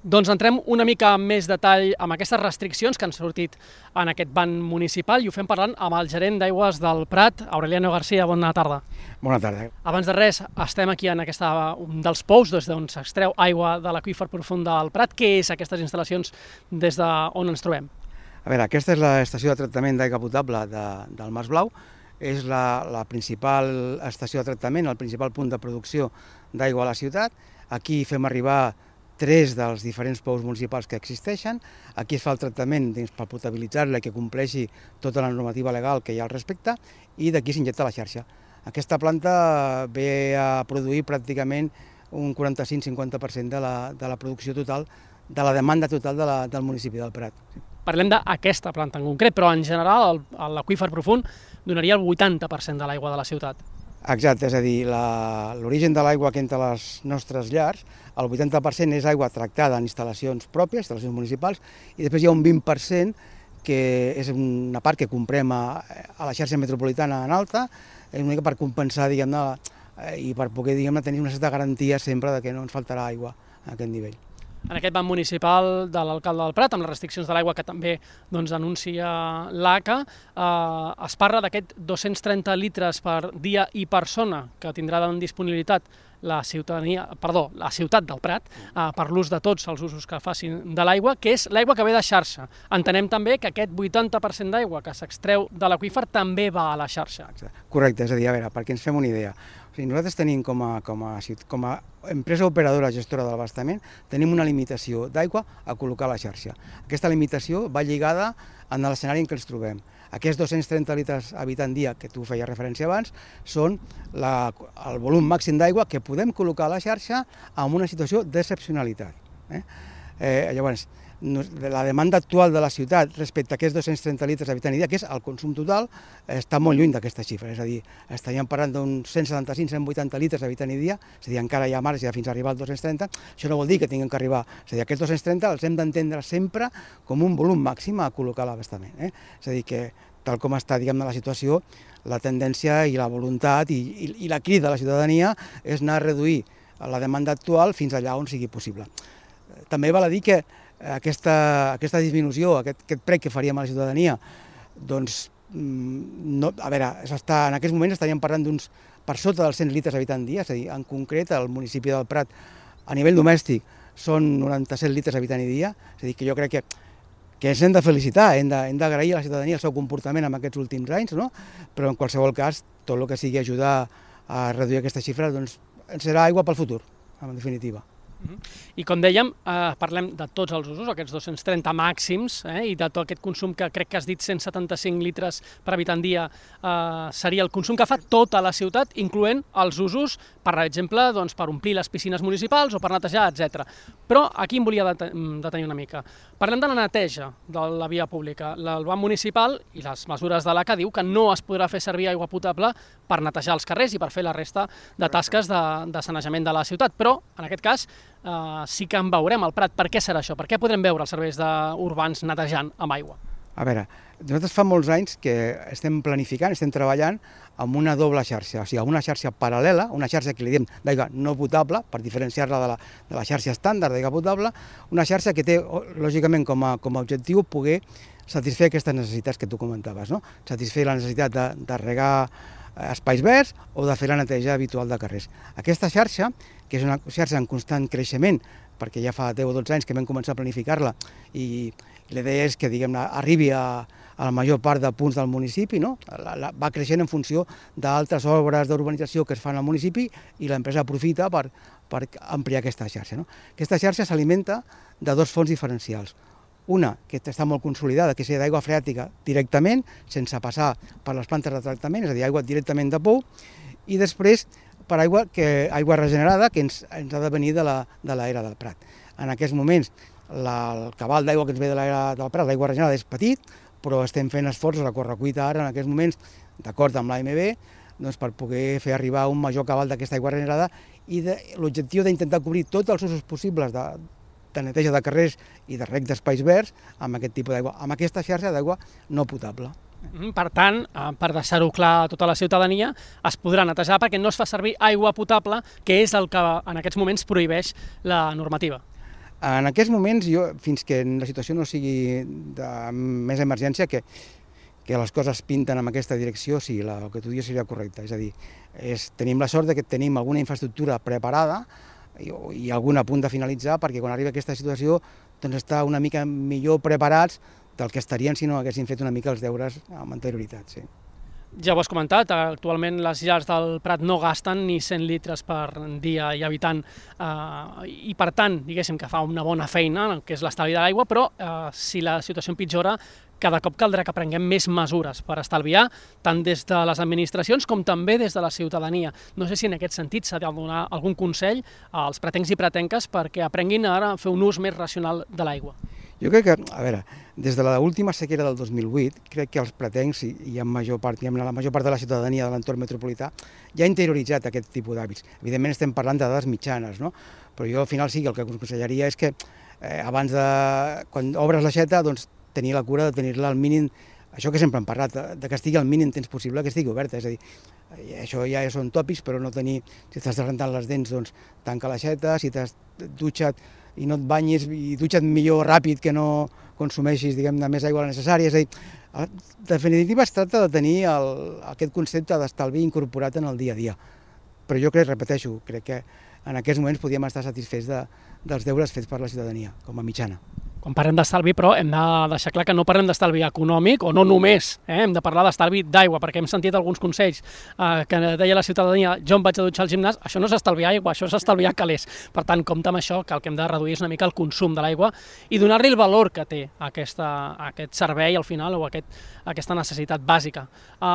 Doncs entrem una mica amb més detall amb aquestes restriccions que han sortit en aquest ban municipal i ho fem parlant amb el gerent d'Aigües del Prat, Aureliano García. Bona tarda. Bona tarda. Abans de res, estem aquí en un dels pous des d'on s'extreu aigua de l'aqüífer profund del Prat. Què és aquestes instal·lacions des d'on ens trobem? A veure, aquesta és l'estació de tractament d'aigua potable del Mas Blau. És la principal estació de tractament, el principal punt de producció d'aigua a la ciutat. Aquí fem arribar 3 dels diferents pous municipals que existeixen. Aquí es fa el tractament per potabilitzar-la i que compleixi tota la normativa legal que hi ha al respecte, i d'aquí s'injecta a la xarxa. Aquesta planta ve a produir pràcticament un 45-50% de la producció total, de la demanda total del municipi del Prat. Parlem d'aquesta planta en concret, però en general l'aqüífer profund donaria el 80% de l'aigua de la ciutat. Exacte, és a dir, l'origen de l'aigua que entra a les nostres llars, el 80% és aigua tractada en instal·lacions pròpies, instal·lacions municipals, i després hi ha un 20% que és una part que comprem a la xarxa metropolitana en alta, una mica per compensar, diguem-ne, i per poder, diguem-ne, tenir una certa garantia sempre de que no ens faltarà aigua a aquest nivell. En aquest ban municipal de l'alcalde del Prat, amb les restriccions de l'aigua que també anuncia l'ACA, es parla d'aquest 230 litres per dia i persona que tindrà en disponibilitat la ciutat del Prat per l'ús de tots els usos que facin de l'aigua, que és l'aigua que ve de xarxa. Entenem també que aquest 80% d'aigua que s'extreu de l'aqüífer també va a la xarxa. Correcte, és a dir, a veure, perquè ens fem una idea. Nosaltres tenim com a empresa operadora gestora de l'abastament, tenim una limitació d'aigua a col·locar a la xarxa. Aquesta limitació va lligada en l'escenari en què ens trobem. Aquests 230 litres habitant dia, que tu feies referència abans, són el volum màxim d'aigua que podem col·locar a la xarxa en una situació d'excepcionalitat. Llavors, la demanda actual de la ciutat respecte a aquests 230 litres habitant dia, que és el consum total, està molt lluny d'aquesta xifra. És a dir, estaríem parlant d'uns 175-180 litres habitant dia, és a dir, encara hi ha marge fins a arribar als 230. Això no vol dir que tinguem que arribar. És a dir, aquests 230 els hem d'entendre sempre com un volum màxim a col·locar a l'abastament. És a dir, que tal com està, diguem-ne, la situació, la tendència i la voluntat i la crida de la ciutadania és anar a reduir la demanda actual fins allà on sigui possible. També val a dir que aquesta disminució, aquest prec que faríem a la ciutadania, doncs, a veure, en aquests moments estaríem parlant d'uns per sota dels 100 litres habitant dia, és a dir, en concret, al municipi del Prat, a nivell domèstic, són 97 litres habitant dia, és a dir, que jo crec que ens hem de felicitar, hem d'agrair a la ciutadania el seu comportament en aquests últims anys, no? Però en qualsevol cas, tot el que sigui ajudar a reduir aquesta xifra, doncs, ens serà aigua pel futur, en definitiva. I com dèiem, parlem de tots els usos, aquests 230 màxims, i de tot aquest consum que crec que has dit 175 litres per habitant dia seria el consum que fa tota la ciutat, incloent els usos, per exemple, per omplir les piscines municipals o per netejar, etc. Però aquí em volia detenir una mica. Parlem de la neteja de la via pública. El ban municipal i les mesures de l'ACA diu que no es podrà fer servir aigua potable per netejar els carrers i per fer la resta de tasques de sanejament de la ciutat, però en aquest cas sí que en veurem al Prat. Per què serà això? Per què podrem veure els serveis urbans netejant amb aigua? A veure, nosaltres fa molts anys que estem planificant, estem treballant amb una doble xarxa, o sigui, una xarxa paral·lela, una xarxa que li diem d'aigua no potable, per diferenciar-la de la xarxa estàndard d'aigua potable, una xarxa que té, lògicament, com a objectiu poder satisfer aquestes necessitats que tu comentaves, no? Satisfer la necessitat de regar espais verds o de fer la neteja habitual de carrers. Aquesta xarxa, que és una xarxa en constant creixement, perquè ja fa 10 o 12 anys que vam començar a planificar-la i la idea és que, diguem-ne, arribi a la major part de punts del municipi, no? Va creixent en funció d'altres obres d'urbanització que es fan al municipi i l'empresa aprofita per ampliar aquesta xarxa, no? Aquesta xarxa s'alimenta de 2 fonts diferencials. Una, que està molt consolidada, que és d'aigua freàtica directament, sense passar per les plantes de tractament, és a dir, aigua directament de pou, i després per aigua regenerada, que ens ha de venir de l'era del Prat. En aquests moments, el cabal d'aigua que ens ve de l'era del Prat, l'aigua regenerada, és petit, però estem fent esforços a correcuita ara, en aquests moments, d'acord amb l'AMB, per poder fer arribar un major cabal d'aquesta aigua regenerada i l'objectiu d'intentar cobrir tots els usos possibles de neteja de carrers i de reg d'espais verds amb aquest tipus d'aigua, amb aquesta xarxa d'aigua no potable. Per tant, per deixar-ho clar a tota la ciutadania, es podrà netejar perquè no es fa servir aigua potable, que és el que en aquests moments prohibeix la normativa. En aquests moments, fins que la situació no sigui de més emergència, que les coses pinten en aquesta direcció, sí, el que tu dius seria correcte. És a dir, tenim la sort que tenim alguna infraestructura preparada i alguna a punt de finalitzar, perquè quan arriba aquesta situació doncs està una mica millor preparats del que estarien si no haguessin fet una mica els deures amb anterioritat. Sí. Ja ho has comentat, actualment les llars del Prat no gasten ni 100 litres per dia i habitant i per tant, diguéssim que fa una bona feina, que és l'estalvi de l'aigua, però si la situació empitjora, cada cop caldrà que prenguem més mesures per estalviar, tant des de les administracions com també des de la ciutadania. No sé si en aquest sentit s'ha de donar algun consell als pretencs i pretenques perquè aprenguin ara a fer un ús més racional de l'aigua. Jo crec que, a veure, des de l'última sequera del 2008, crec que els pretencs i la major part de la ciutadania de l'entorn metropolità ja ha interioritzat aquest tipus d'hàbits. Evidentment estem parlant de dades mitjanes, no? Però jo al final sí que el que aconsellaria és que abans quan obres l'aixeta, doncs tenir la cura de tenir-la al mínim, això que sempre hem parlat, de que estigui al mínim temps possible que estigui oberta, és a dir, això ja són tòpics, però no tenir, si estàs rentant les dents, doncs tanca l'aixeta, si t'has dutxat i no et banyis i dutxa't millor ràpid que no consumeixis, diguem-ne, més aigua de la necessària, és a dir, en definitiva es tracta de tenir aquest concepte d'estalvi incorporat en el dia a dia, però jo repeteixo, crec que en aquests moments podíem estar satisfets dels deures fets per la ciutadania, com a mitjana. Quan parlem d'estalvi, però, hem de deixar clar que no parlem d'estalvi econòmic, o no només, hem de parlar d'estalvi d'aigua, perquè hem sentit alguns consells que deia la ciutadania, jo em vaig a dutxar al gimnàs, això no és estalviar aigua, això és estalviar calés. Per tant, compte amb això, que el que hem de reduir és una mica el consum de l'aigua i donar-li el valor que té aquest servei al final, o aquesta necessitat bàsica.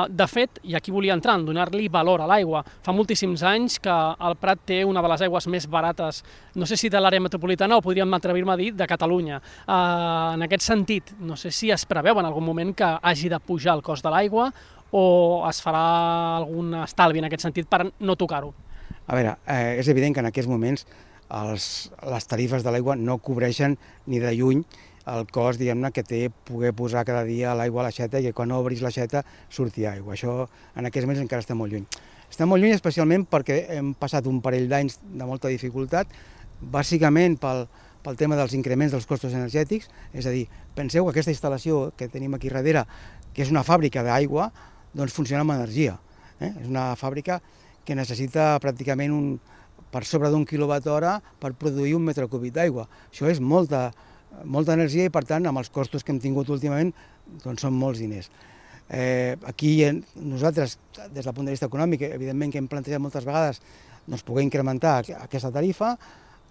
De fet, i aquí volia entrar, en donar-li valor a l'aigua. Fa moltíssims anys que el Prat té una de les aigües més barates, no sé si de l'àrea metropolitana o podríem atrevir-me a dir de Catalunya. En aquest sentit, no sé si es preveu en algun moment que hagi de pujar el cost de l'aigua o es farà algun estalvi en aquest sentit per no tocar-ho. A veure, és evident que en aquests moments les tarifes de l'aigua no cobreixen ni de lluny el cost, diguem-ne, que té poder posar cada dia l'aigua a l'aixeta i que quan obris l'aixeta surti aigua. Això en aquests moments encara està molt lluny. Està molt lluny especialment perquè hem passat un parell d'anys de molta dificultat, bàsicament pel tema dels increments dels costos energètics, és a dir, penseu que aquesta instal·lació que tenim aquí darrere, que és una fàbrica d'aigua, doncs funciona amb energia. És una fàbrica que necessita pràcticament per sobre d'1 quilowatt-hora per produir 1 metre cúbic d'aigua. Això és molta energia i, per tant, amb els costos que hem tingut últimament, doncs són molts diners. Aquí nosaltres, des del punt de vista econòmic, evidentment que hem plantejat moltes vegades poder incrementar aquesta tarifa.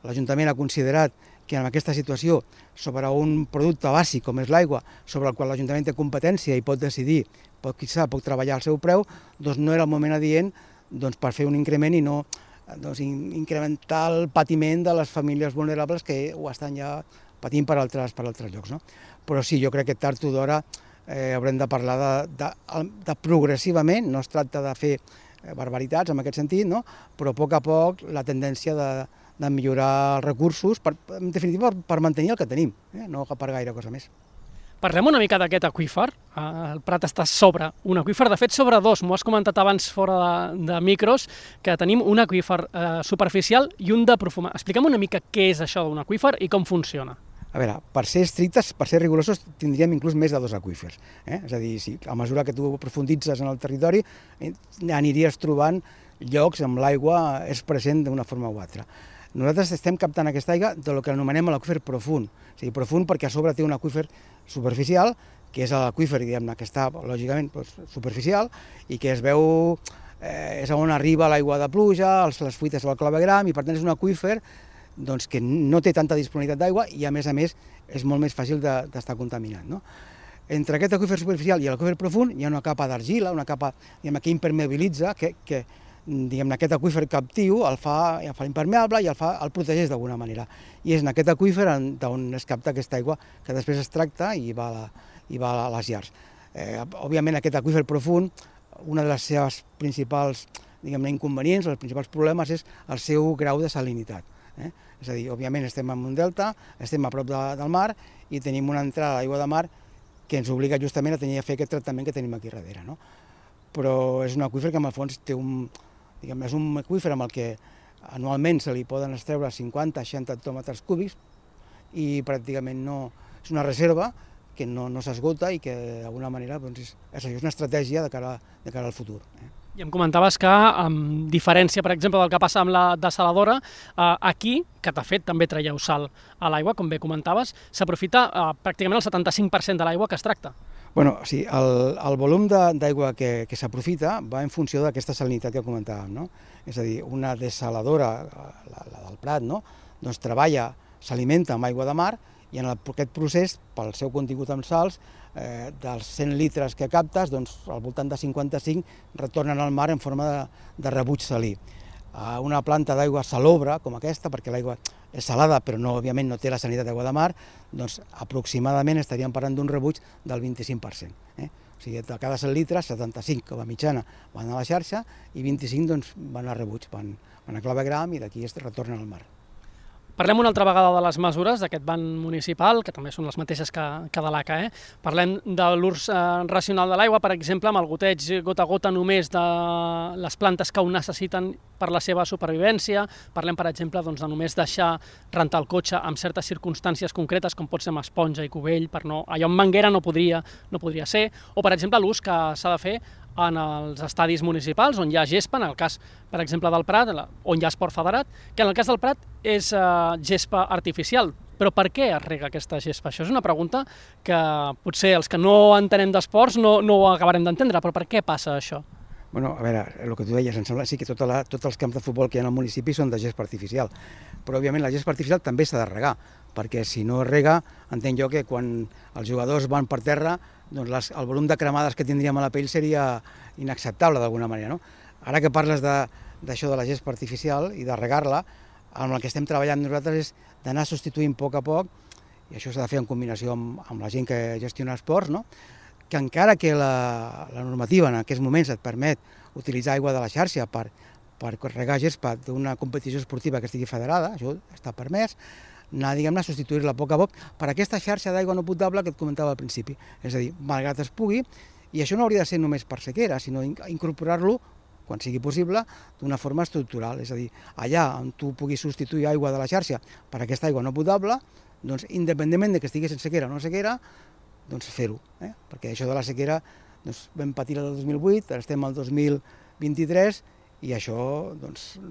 L'Ajuntament ha considerat que en aquesta situació, sobre un producte bàsic com és l'aigua, sobre el qual l'Ajuntament té competència i pot decidir, pot treballar al seu preu, doncs no era el moment adient per fer un increment i no incrementar el patiment de les famílies vulnerables que ho estan ja patint per altres llocs. Però sí, jo crec que tard o d'hora haurem de parlar de progressivament, no es tracta de fer barbaritats en aquest sentit, però a poc la tendència de millorar els recursos, en definitiva per mantenir el que tenim, no per gaire cosa més. Parlem una mica d'aquest aqüífer. El Prat està sobre un aqüífer, de fet sobre dos, m'ho has comentat abans fora de micros, que tenim un aqüífer superficial i un de profund. Explica'm una mica què és això d'un aqüífer i com funciona. A veure, per ser estrictes, per ser rigorosos, tindríem inclús més de 2 aqüífers. És a dir, a mesura que tu profunditzes en el territori, aniries trobant llocs on l'aigua és present d'una forma o altra. Nosaltres estem captant aquesta aigua del que anomenem l'aqüífer profund. O sigui, profund perquè a sobre té un aqüífer superficial, que és l'aqüífer, diguem-ne, que està, lògicament, superficial i que es veu, és on arriba l'aigua de pluja, les fuites del clavegram, i per tant és un aqüífer que no té tanta disponibilitat d'aigua i a més és molt més fàcil d'estar contaminat. Entre aquest aqüífer superficial i l'aqüífer profund hi ha una capa d'argila, una capa que impermeabilitza, que aquest aqüífer captiu el fa impermeable i el protegeix d'alguna manera. I és en aquest aqüífer on es capta aquesta aigua que després es tracta i va a les llars. Òbviament aquest aqüífer profund, una de les seves principals inconvenients, els principals problemes és el seu grau de salinitat. És a dir, òbviament estem en un delta, estem a prop del mar i tenim una entrada d'aigua de mar que ens obliga justament a tenir a fer aquest tractament que tenim aquí darrere. Però és un aqüífer que en el fons té és un aqüífer amb el que anualment se li poden extreure 50-60 hectòmetres cúbics, i pràcticament no és una reserva que no s'esgota i que d'alguna manera és una estratègia de cara al futur. I em comentaves que, amb diferència, per exemple, del que passa amb la dessaladora, aquí, que de fet també traieu sal a l'aigua, com bé comentaves, s'aprofita pràcticament el 75% de l'aigua que es tracta. Bueno, sí, el volum d'aigua que s'aprofita va en funció d'aquesta salinitat que comentàvem, no? És a dir, una dessaladora, la del Prat, no? Doncs treballa, s'alimenta amb aigua de mar i en aquest procés, pel seu contingut amb sals, dels 100 litres que captes, doncs al voltant de 55 retornen al mar en forma de rebuig salí. Una planta d'aigua salobre com aquesta, perquè l'aigua és salada però òbviament no té la salinitat d'aigua de mar, doncs aproximadament estaríem parlant d'un rebuig del 25%. O sigui, de cada 100 litres, 75 com a mitjana van a la xarxa i 25 doncs, van a rebuig, van a clavegram i d'aquí es retornen al mar. Parlem una altra vegada de les mesures d'aquest ban municipal, que també són les mateixes que de l'ACA. Parlem de l'ús racional de l'aigua, per exemple, amb el goteig gota a gota només de les plantes que ho necessiten per la seva supervivència. Parlem, per exemple, de només deixar rentar el cotxe en certes circumstàncies concretes, com pot ser amb esponja i cubell, allò amb manguera no podria ser, o, per exemple, l'ús que s'ha de fer en els estadis municipals, on hi ha gespa, en el cas, per exemple, del Prat, on hi ha esport federat, que en el cas del Prat és gespa artificial. Però per què es rega aquesta gespa? Això és una pregunta que potser els que no entenem d'esports no ho acabarem d'entendre, però per què passa això? Bueno, a veure, el que tu deies, em sembla sí que tots els camps de futbol que hi ha al municipi són de gespa artificial, però òbviament la gespa artificial també s'ha de regar, perquè si no es rega, entenc jo que quan els jugadors van per terra, doncs el volum de cremades que tindríem a la pell seria inacceptable d'alguna manera, no? Ara que parles d'això de la gespa artificial i de regar-la, amb el que estem treballant nosaltres és d'anar substituint a poc, i això s'ha de fer en combinació amb la gent que gestiona esports, no? Que encara que la normativa en aquests moments et permet utilitzar aigua de la xarxa per regar gespa d'una competició esportiva que estigui federada, això està permès, anar, diguem-ne, a substituir-la a poc per aquesta xarxa d'aigua no potable que et comentava al principi. És a dir, malgrat es pugui, i això no hauria de ser només per sequera, sinó incorporar-lo, quan sigui possible, d'una forma estructural. És a dir, allà on tu puguis substituir aigua de la xarxa per aquesta aigua no potable, doncs, independentment de que estigués en sequera o no sequera, doncs fer-ho. Perquè això de la sequera vam patir el 2008, ara estem al 2023, i això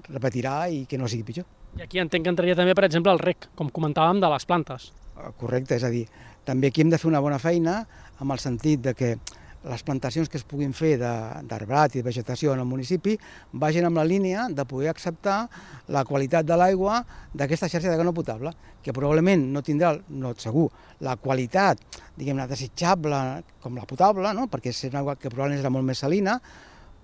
repetirà i que no sigui pitjor. I aquí entenc que entraria també, per exemple, el reg, com comentàvem, de les plantes. Correcte, és a dir, també aquí hem de fer una bona feina amb el sentit de que les plantacions que es puguin fer d'arbrat i de vegetació en el municipi vagin amb la línia de poder acceptar la qualitat de l'aigua d'aquesta xarxa d'aigua no potable, que probablement no tindrà, no segur, la qualitat, diguem-ne, desitjable com la potable, no? Perquè és una aigua que probablement serà molt més salina,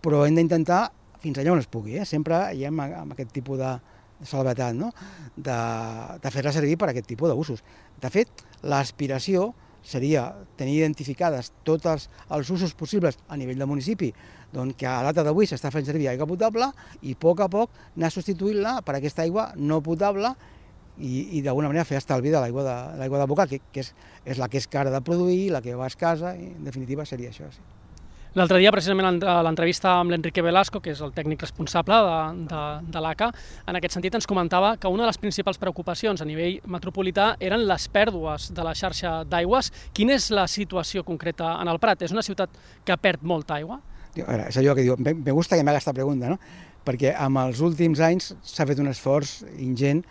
però hem d'intentar fins allà on es pugui, sempre hi hem amb aquest tipus de salvetat, no? De fer-la servir per a aquest tipus d'usos. De fet, l'aspiració seria tenir identificades tots els usos possibles a nivell del municipi, doncs que a data d'avui s'està fent servir aigua potable i a poc anar substituint-la per aquesta aigua no potable i d'alguna manera fer estalvi de l'aigua de boca, que és la que és cara de produir, la que va escassa, i en definitiva seria això, sí. L'altre dia, precisament, a l'entrevista amb l'Enrique Velasco, que és el tècnic responsable de l'ACA, en aquest sentit ens comentava que una de les principals preocupacions a nivell metropolità eren les pèrdues de la xarxa d'aigües. Quina és la situació concreta en el Prat? És una ciutat que perd molta aigua? A veure, és allò que diu, me gusta que m'haga aquesta pregunta, no? Perquè amb els últims anys s'ha fet un esforç ingent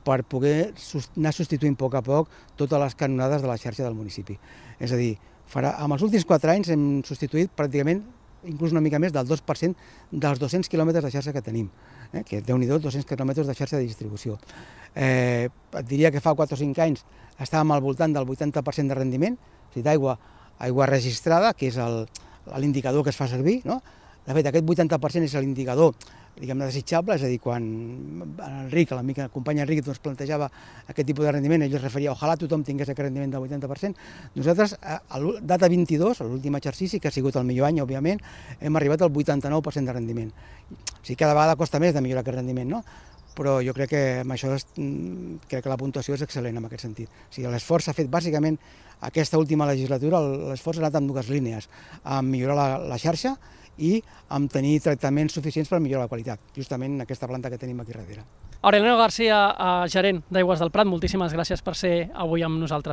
per poder anar substituint a poc totes les canonades de la xarxa del municipi. És a dir, amb els últims 4 anys hem substituït pràcticament, inclús una mica més, del 2% dels 200 quilòmetres de xarxa que tenim, que Déu-n'hi-do, 200 quilòmetres de xarxa de distribució. Et diria que fa 4 o 5 anys estàvem al voltant del 80% de rendiment, o sigui, d'aigua registrada, que és l'indicador que es fa servir, no? De fet, aquest 80% és l'indicador, diguem-ne, desitjable, és a dir, quan Enric, l'amic, el company Enric, plantejava aquest tipus de rendiment, ell es referia, ojalà tothom tingués aquest rendiment del 80%. Nosaltres, a data 22, l'últim exercici, que ha sigut el millor any, òbviament, hem arribat al 89% de rendiment. O sigui, cada vegada costa més de millorar aquest rendiment, no? Però jo crec que amb això crec que la puntuació és excel·lent en aquest sentit. O sigui, l'esforç s'ha fet bàsicament aquesta última legislatura, l'esforç ha anat en 2 línies, amb millorar la xarxa i amb tenir tractaments suficients per millorar la qualitat, justament en aquesta planta que tenim aquí darrere. Aurelio García, gerent d'Aigües del Prat, moltíssimes gràcies per ser avui amb nosaltres.